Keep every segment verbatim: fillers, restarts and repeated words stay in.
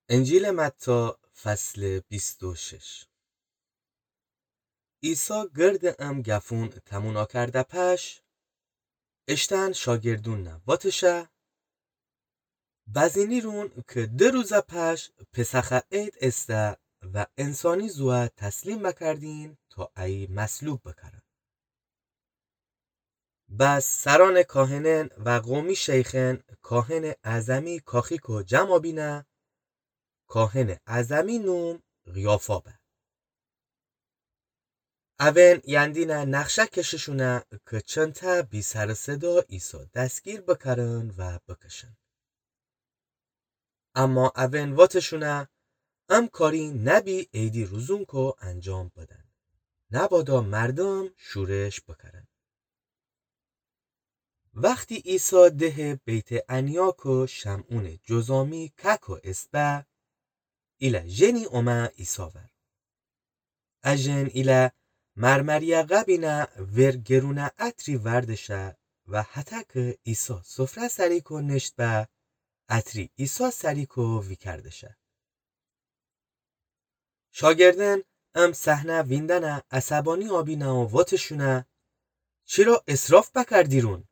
انجیلٚ متی، فصلٚ بیست و شش. عیسی گردٚ ام گفون تموم کرده پش، اشتأن شاگردونَ واتشه: بزینیرون که ده روز پش پسخ عید ایسته و انسانی زوأ تسلیم بکردین تا ایی مصلوب بکرن. بس سرأنٚ کاهنأن و قومی شیخأن کاهنٚ اعظمی کاخیکو جمع بینه، کاهنٚ اعظمی نوم قیافا به. اون یندینه نقشه کشه‌شونه که چنته بی سر و صدا عیسی دستگیر بکرن و بکشن. اما اون واتشونه: ام کاری نبی عیدی روزونکو انجام بدن، نبادا مردم شورش بکرن. وختی عیسی دهٚ بیت‌عنیاکو شمعونٚ جذامی کأکو ایست به، ایله ژنی اومه عیسی ور. ا ژن ایله مرمریه قبینه ور گرونه عطری وردشه و هتأ که عیسی سفره سریکو نشت به، عطری عیسی سریکو ویکردشه. شاگردأن ام صحنه ویندنه عصبانی آبینه و واتشونه: چرا اسراف بکردیرون؟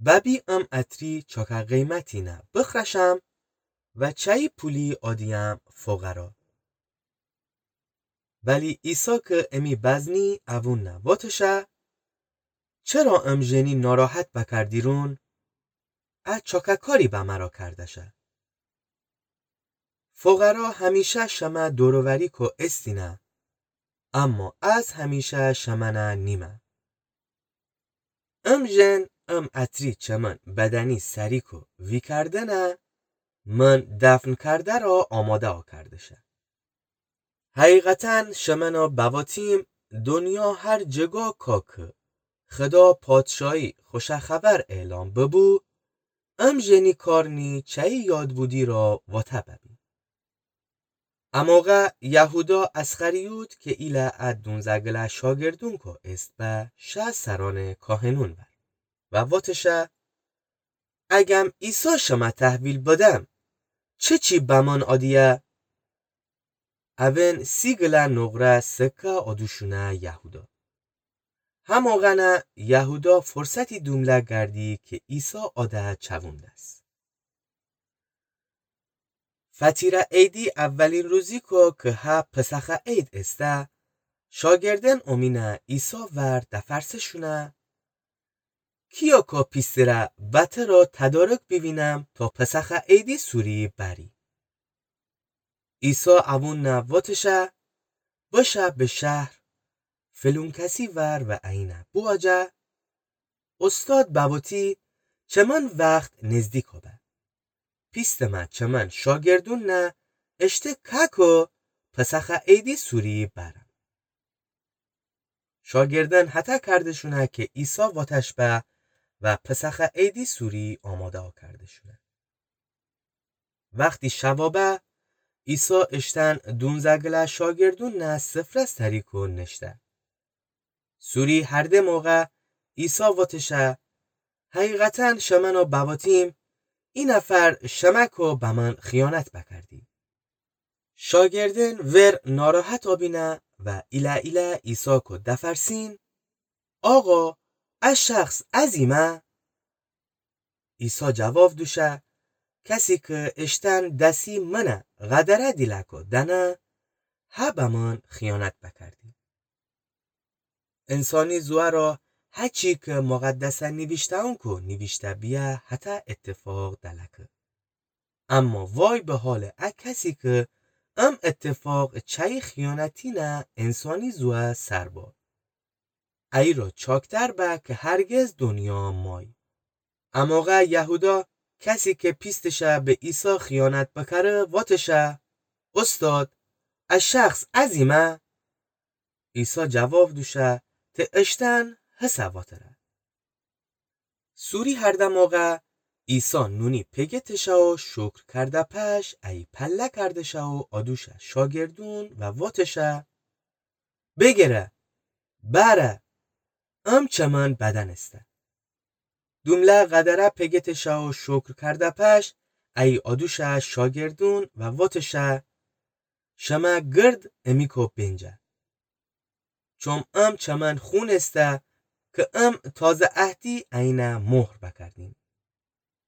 ببی ام عطری چاکه قیمتینه بخرشم و چایی پولی آدیم فقرا. ولی عیسی که امی بزنی اوونَ واتشه: چرا ام ژنی ناراحت بکردیرون؟ ا چاکه کاری به مرا کردشه. فقرا همیشه شمه دور و وریکو ایستینه، اما از همیشه شمنه نیمه. ام ژن ام عطری چمن بدنی سریکو ویکردنه، من دفن کرده را آماده آکردشه. حقیقتاً شمنه بواتیم، دنیا هر جگا کا که خدا پادشاهی خوش خبر اعلام ببو، ام ژنی کار نی چایی یاد بودی را واته ببی. ا موقع یهودا اسخریوط که ایله ا دونزه گله شاگردونکو ایست به، شه سرأنٚ کاهنون ور و واتشه: اگم عیسی شمه تحویل بدم، چه چی بمن آدیه؟ اون سی گله نقره سکه آدوشونه یهودا. هماغنه یهودا فرصتی دومله گردی که عیسی آده چووندس. فطیره عیدی اولین روزیکو که هه پسخه عید ایسته، شاگردأن اومینه عیسی ور دفرسه‌شونه: کیاکو پیستره بترا تدارک بیوینم تا پسخه عیدی سوری بری؟ عیسی اوونَ واتشه: بشه به شهر فلون کسی ور و اینه بواجه: استاد بوتی، چمن وخت نزدیکا به. پیستمه چمن شاگردونَ اشته کاکو پسخه عیدی سوری برم. شاگردأن هتأ کردشونه که عیسی واتش به و پسخه عیدی سوری آماده آکردشونه. وختی شوا به، عیسی اشتن دونزه گله شاگردونَ سفره سریکو نشته. سوری هرده موقع عیسی واتشه: حقیقتاً شمنَ بواتیم، ای نفر شمکو بمن خیانت بکردی. شاگردأن ور ناراحت آبینه و ایله ایله عیساکو دفرسین: آقا، ا شخص ازیمه؟ عیسی جواب دوشه: کسی که اشتن دسی منَ قدره دیلکو دنه، هه بمن خیانت بکردی. انسانی زوأ را هچی که مقدسه نیویشته‌ونکو نیویشته بیه هتأ اتفاق دلکه. اما وای به حالٚ ا کسی که ام اتفاق چایی خیانتینَ انسانی زوأ سر با. ایی را چاکتر به که هرگز دنیا مای. ا موقع یهودا، کسی که پیستشه به عیسی خیانت بکره، واتشه: استاد، ا شخص ازیمه؟ عیسی جواب دوشه: ته اشتن هسه واتره. سوری هرده موقع عیسی نونی پگه تشه و شکر کرده پش ایی پله کردشه و آدوشه شاگردون و واتشه: بگره، بأره، ام چمن بدنسته. دومله قدره پگه تشه و شکر کرده پش ای آدوشٚ شاگردون و وتشٚ: شمه گرد امیکو بینجه. چوم ام چمن خون ایسته که ام تازه عهدی اینه مهر بکردیم.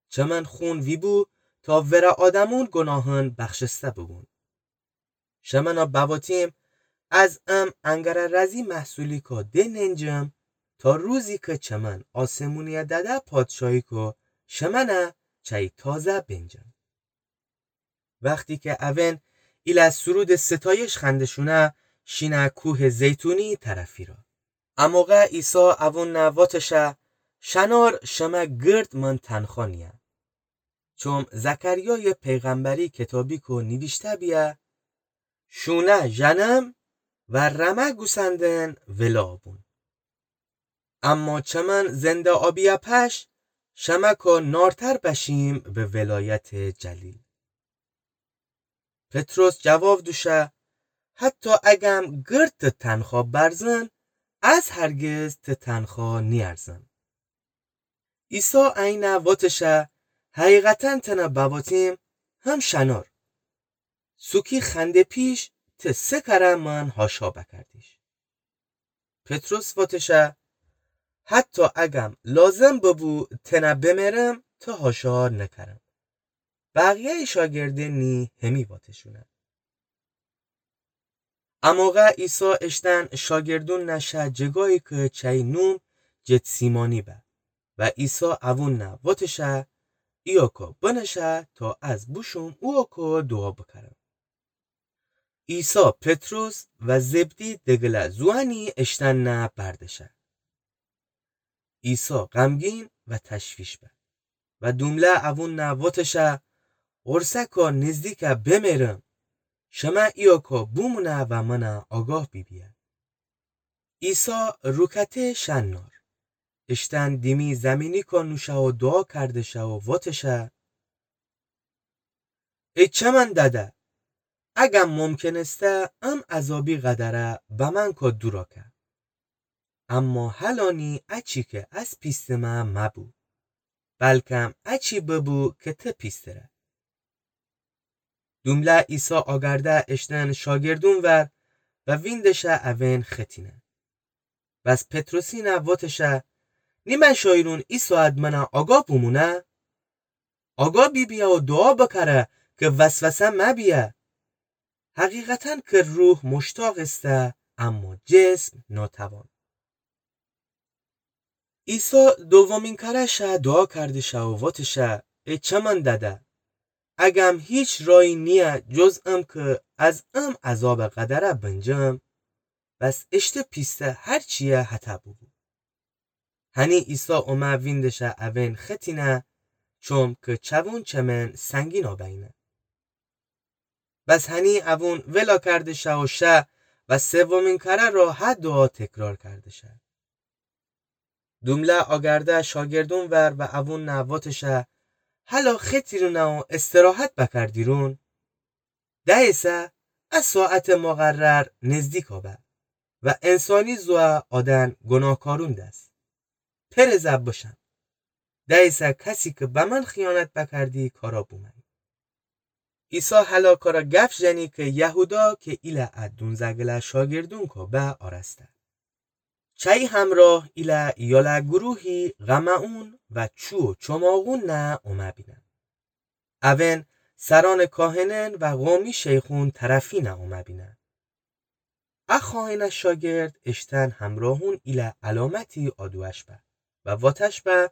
چمن خون ویبو تا ورٚ آدمون گناهأن بخشسته ببون. شمنٚ بواتیم از ام انگرٚ رزی محصولیکو دیننجم تا روزی که چمن آسمونی‌یٚ دده پادشاهیکو شمنه چی تازه بینجم. وختی که اوئن ایله سرودٚ ستایش خوأنده‌شونه، شینه کوهٚ زیتونی طرفی را. اموقع عیسی اوونه وتشه: شنار شمه گرد من تنخوا نیه. چوم زکریایٚ پیغمبری کتابیکو نیویشته بیه: شونه ژنم و رمه گوسندن ولا بون. اما چمن زنده آبی‌یٚ پش شمه کو نارتر بشیم به ولایتٚ جلیل. پطرس جواب دوشه: حتی اگم گرد ت تنخوا برزن، از هرگز ت تنخوا نیأرزم. عیسی اینه وتشه: حقیقتاً تنه بواتیم، هم شنار. سوکی خنده پیش ت سه کره من هاشا بکردیش. پطرس وتشه: حتی اگم لازم ببو تنه بمرم، ت هاشا نکرم. بقیه‌یٚ شاگردن نی همی وتشونه. اموقع عیسی اشتن شاگردون نشه جگایی که چی نوم جتسیمانی به و عیسی اوون نه وتشه: ایاکو بنشه تا از بوشوم اوکو دوعا بکرم. عیسی پطرس و زبدی دگله زوانی اشتن نه بردشه. عیسی غمگین و تشویش به و دومله اوون نه وتشه: قرصکو نزدیکه بمرم، شمه ایاکو بومونه و منه آگاه بیبیه. عیسی روکته شنار، اشتن دیمی زمینیکو نوشه و دوعا کردشه و وتشه: ای چمن دده، اگم ممکن ایسته ام عذابی قدره بمن کو دورا که. اما هلا نی اچی که از پیستٚ مه مبو، بلکم اچی ببو که ت پیستره. دومله عیسی آگرده اشتن شاگردون ور و ویندشه اوئن ختینه. بس پطرسینه وتشه: نیمه شایرون ای ساعت منه آگاه بومونه؟ آگاه بیبیه و دوعا بکره که وسوسه مبیه. حقیقتاً که روح مشتاق ایسته، اما جسم ناتوان. عیسی دومین کره شه دوعا کردشه و وتشه: ای چمن دده، اگم هیچ رایی نیه جز ام که از ام عذابٚ قدره بنجم، بس اشته پیسته هر چیه هته ببو. هنی عیسی اومه ویندشه اوئن ختینه، چوم که چوون چمن سنگین آبه‌ینه. بس هنی اوون ولا کردشه و شه و سومین کره را هه دوعا تکرار کردشه. دومله آگرده شاگردون ور و اوون نه وتشه: هلا ختیرونه و استراحت بکردیرون؟ دهیسه ا ساعتٚ مقرر نزدیکا به و انسانی زوه آدن گناهکارون دس. پرزه بشم. دهیسه کسی که بمن خیانت بکردی کارا بومه‌یی. عیسی هلا کارا گف ژنی که یهودا که ایله ا دونزه گله شاگردونکو به آراسته. چایی همراه ایله یاله گروهی غمه‌اون و چو و چماغون نه اومه بینه. اوئن سرانٚ کاهنن و قومی شیخون طرفینه اومه بینه. ا خائنٚ شاگرد اشتن همراهون ایله علامتی آدوش به و واتش به: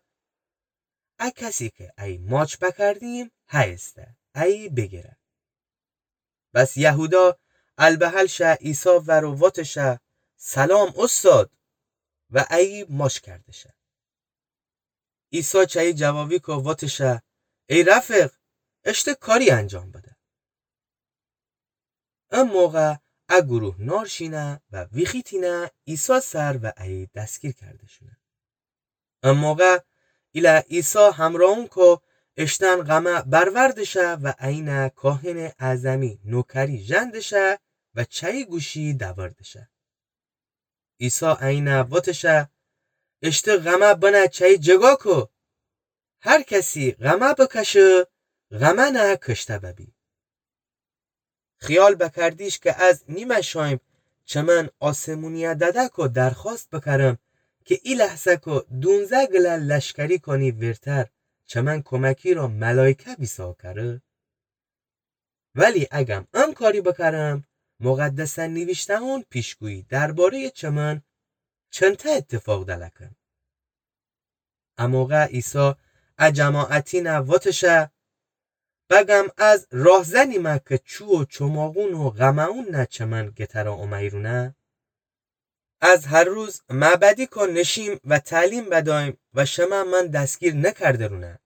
ا کسی که ای ماچ بکردیم هیسته، ای بیگیره. بس یهودا البهل شه عیسی ور و واتشه: سلام اوستاد، و ای ماچ کردشه. عیسی چایی جوابیکو واتشه: ای رفیق، اشته کاری انجام بده. ا موقع ا گروه نار شینه و ویخیتینه عیسی سر و ای دستگیر کرده‌شونه. ا موقع ایله عیسی همراهونکو اشتن غمه بروردشه و اینه کاهنٚ اعظمی نوکری ژندشه و چایی گوشی دوردشه. عیسی اینه واتشه: اشته غمه بنه چایی جگاکو. هر کسی غمه بکشه، غمأنَ کشته ببی. خیال بکردیش که از نیمه شایم چمن آسمونی‌یَ دده‌کو درخوأست بکرم که ای لحظه‌کو دونزه گله لشکری کانی ویرتر چمن کمکی را ملایکه بیسا کره؟ ولی اگم ام کاری بکرم، مقدسه نیویشته‌هون پیشگویی درباره‌یٚ چمن چنته ایتفاق دلکن. اموقع عیسی ا جماعتینَ وتشه: بگم از راهزنیمه که چوو چوماقون و غمه‌اون نه چمن گترا اومه‌ییرونه؟ از هر روز معبدیکو نشیم و تعلیم بدایم و شمه من دستگیر نکردرونه.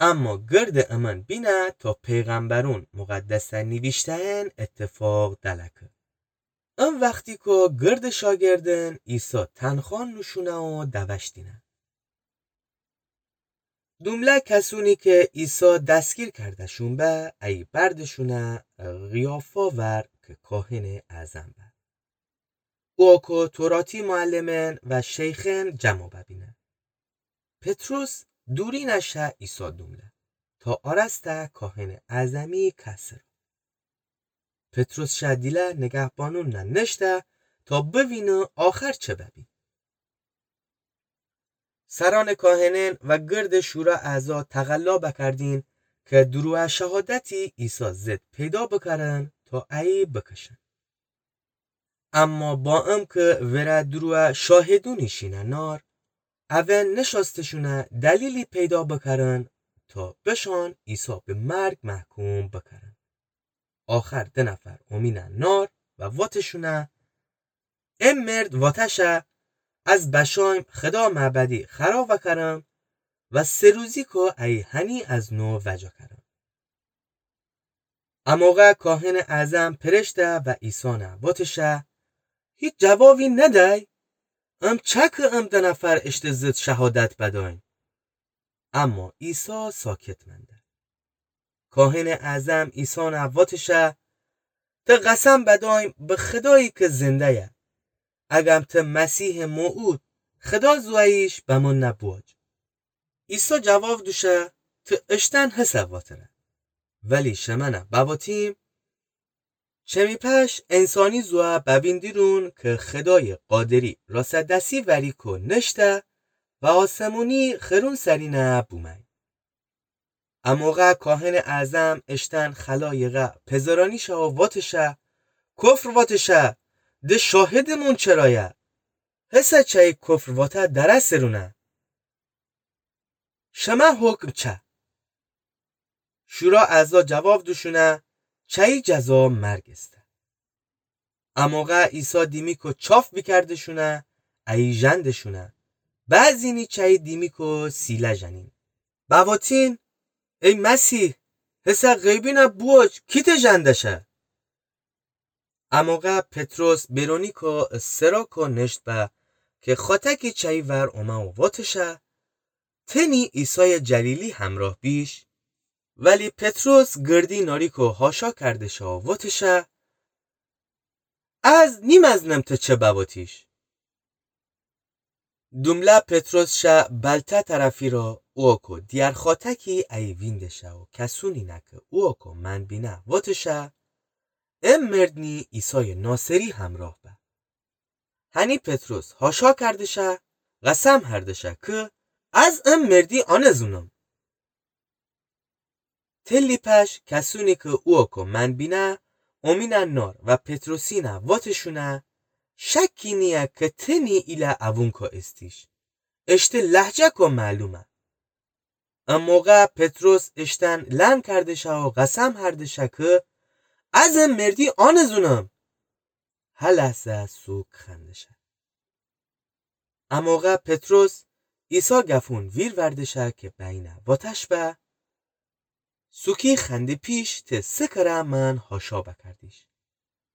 اما گرد امن بینه تا پیغمبرون مقدسه نیویشته‌یین ایتفاق دلکه. ام وختیکو گرد شاگردن عیسی تنخوأ نوشونه و دوشتینه. دومله کسونی که عیسی دستگیر کرده‌شون به، ای بردشونه قیافا ور که کاهنٚ اعظم به. اوکو توراتی معلمن و شیخن جمع ببینه. پطرس دورینه شه عیسی دومله، تا آراسته کاهنٚ اعظمی کسرا. پطرس شه دیله نگهبانون نه نشته تا بوینه آخر چه ببی. سرأنٚ کاهنن و گردٚ شورا اعضا تقلا بکردین که دروغ شهادتی عیسی ضد پیدا بکرن تا ایی بکشن. اما با ام که وره دروغ شاهدونی شینه نار، اون نشأستشونه دلیلی پیدا بکرن تا بشان عیسی به مرگ محکوم بکرن. آخر ده نفر اومینه نار و واتشونه: ام مرد واتشه از بشایم خدا معبدی خراب کرم و سه روزیکو ایی هنی از نو وجا کرم. اموقع کاهنٚ اعظم پرشته و عیسی نه واتشه: هیچ جوابی ندی؟ ام چه که ام ده نفر اشته ضد شهادت بدایم؟ اما عیسی ساکت منده. کاهنٚ اعظم عیسی نه واتشه: ته قسم بدایم به خدایی که زنده‌یه، اگم ته مسیحٚ موعود خدا زوییش بمون نه بوج. عیسی جواب دوشه: ته اشتن هسه واتره، ولی شمه نه بواتیم، چمی پش انسانی زوه بویندیرون که خدایٚ قادری راسه دسی وریکو نشته و آسمونی خرون سرینه بومه‌یی. اموقع کاهنٚ اعظم اشتن خلایقه پزرانیشه و واتشه: کفر واتشه، ده شاهدٚ مون چرایه؟ هسه چه‌یی کفر واته درسرونه؟ شمه حکم چه؟ شورا اعضا جواب دوشونه: چه‌یی جزا مرگ ایسته. اموقع عیسی دیمیکو چاف بیکردشونه، ایی ژندشونه، بعضینی چه‌یی دیمیکو سیله ژنین: بواتین، ای مسیح، هسه غیبی نه بوج کی ته ژنده‌شه؟ اموقع پطرس برونیکو سراکو نشت به که خاتکی چه‌یی ور اومه و واتشه: ته نی عیسایٚ جلیلی همراه بیش؟ ولی پطرس گردی ناریکو حاشا کردشه و واتشه: از نیمزنم ته چه بواتیش. دومله پطرس شه بلته طرفی را، اوکو دیگر خاتکی ایی ویندشه و کسونی نه که اوکو من بینه واتشه: ام مرد نی عیسایٚ ناصری همراه به. هنی پطرس حاشا کردشه، قسم هردشه که از ام مردی آنزونم. تلی پش کسونی که اوکو من بینه اومینه نار و پطرسی نه واتشونه: شکی نییه که ته نی ایله اوونکو ایستیش، اشته لهجه‌کو معلومه. اموقع پطرس اشتن لم کردشه و قسم هردشه که از ام مردی آنزونم. هه لحظه سوک خوأندشه. اموقع پطرس عیسی گفون ویر وردشه که بینه واتش به: سوکی خوأندی پیش ته سه کره من حاشا بکردیش.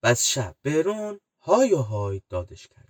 بس شه برون های و های دادش کرد.